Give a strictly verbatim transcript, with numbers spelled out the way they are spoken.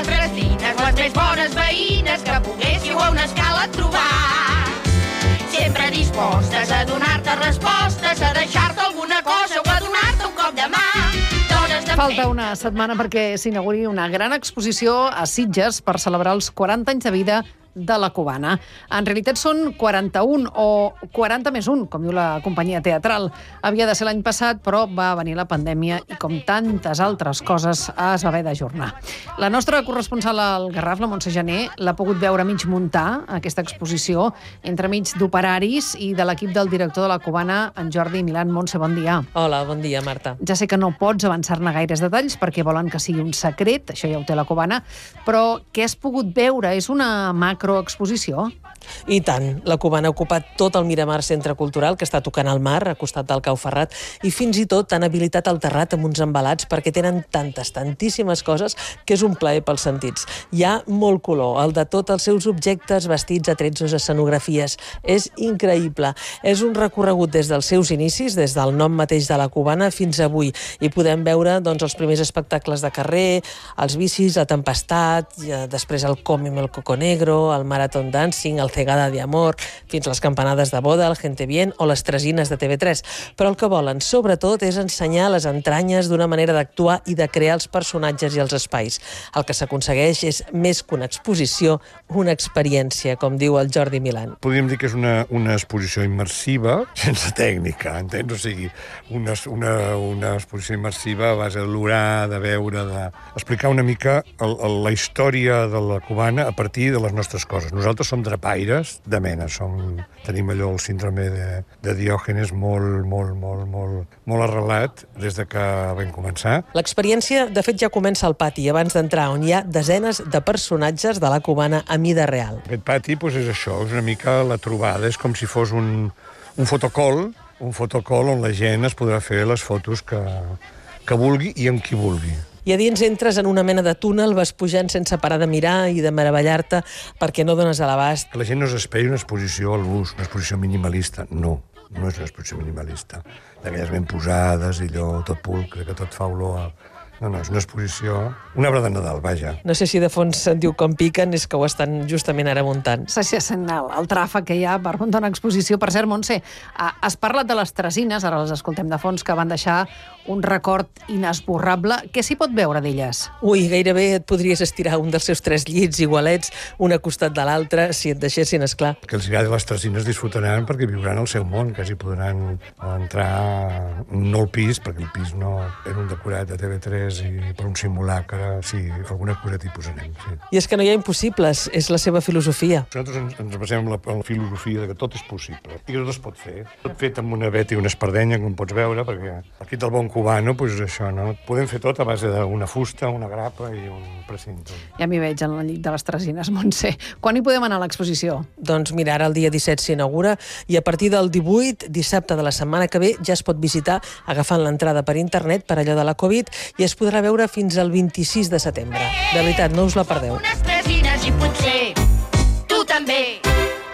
vostres nines, les més bones veïnes que poguéssiu a una escala trobar. Sempre dispostes a donar-te respostes, a deixar-te alguna cosa o a donar-te un cop de mà. Falta una setmana perquè s'inauguri una gran exposició a Sitges per celebrar els quaranta anys de vida de la Cubana. En realitat són quaranta-un o quaranta més un, com diu la companyia teatral. Havia de ser l'any passat, però va venir la pandèmia i, com tantes altres coses, es va haver d'ajornar. La nostra corresponsal al Garraf, la Montse Jané, l'ha pogut veure mig muntar, aquesta exposició, entremig d'operaris i de l'equip del director de la Cubana, en Jordi Milán. Montse, bon dia. Hola, bon dia, Marta. Ja sé que no pots avançar-ne gaires detalls perquè volen que sigui un secret, això ja ho té la Cubana, però què has pogut veure? És una macroexposició? I tant. La Cubana ha ocupat tot el Miramar Centre Cultural, que està tocant al mar, a costat del Cau Ferrat, i fins i tot han habilitat el terrat amb uns embalats perquè tenen tantes, tantíssimes coses que és un plaer pels sentits. Hi ha molt color, el de tots els seus objectes, vestits, atrezzos, escenografies. És increïble. És un recorregut des dels seus inicis, des del nom mateix de la Cubana fins avui, i podem veure doncs, els primers espectacles de carrer, els bicis, la tempestat, després el Cómeme el Coco Negro, el Marathon Dancing, el Cegada de Amor, fins les campanades de boda, el Gente Bien o les tresines de T V tres. Però el que volen, sobretot, és ensenyar les entranyes d'una manera d'actuar i de crear els personatges i els espais. El que s'aconsegueix és més que una exposició, una experiència, com diu el Jordi Milán. Podríem dir que és una, una exposició immersiva, sense tècnica, entens? O sigui, una, una, una exposició immersiva a base d'olorar, de veure, d'explicar una mica el, el, la història de la Cubana a partir de les nostres coses. Nosaltres som drapaires de mena, som, tenim allò, el síndrome de, de Diògenes molt, molt, molt, molt, molt arrelat des de que vam començar. L'experiència, de fet, ja comença al pati, abans d'entrar, on hi ha desenes de personatges de la Cubana a mida real. Aquest pati doncs, és això, és una mica la trobada, és com si fos un, un fotocol, un fotocol on la gent es podrà fer les fotos que, que vulgui i amb qui vulgui. I a dins entres en una mena de túnel, vas pujant sense parar de mirar i de meravellar-te perquè no dones a l'abast. Que la gent no s'esperi una exposició al gust, una exposició minimalista. No, no és una exposició minimalista. D'aquelles ben posades i allò tot pulcre, que tot fa olor a... No, no, és una exposició... Una obra de Nadal, vaja. No sé si de fons se'n diu com piquen, és que ho estan justament ara muntant. Sí, sí, sent el, el tràfic que hi ha per muntar una exposició. Per cert, Montse, has parlat de les tresines, ara les escoltem de fons, que van deixar un record inesborrable. Què s'hi pot veure d'elles? Ui, gairebé et podries estirar un dels seus tres llits igualets, un a costat de l'altre, si et deixessin, esclar. Que els agradi les tresines disfrutaran perquè viuran el seu món, quasi podran entrar no al pis, perquè el pis no era un decorat de T V tres i per un simulacre, sí, alguna cosa tipus anem, sí. I és que no hi ha impossibles, és la seva filosofia. Nosaltres ens, ens basem en la, en la filosofia de que tot és possible, i que tot es pot fer. Tot fet amb una veta i una espardenya, com pots veure, perquè aquí del bon cubano, doncs això, no? Podem fer tot a base d'una fusta, una grapa i un precinte. Ja m'hi veig en el llit de les tresines, Montse. Quan hi podem anar a l'exposició? Doncs mira, ara el dia disset s'inaugura i a partir del divuit, dissabte de la setmana que ve, ja es pot visitar agafant l'entrada per internet per allò de la Covid i es podrà veure fins al vint-i-sis de setembre. De veritat, no us la perdeu. Unes tresines i potser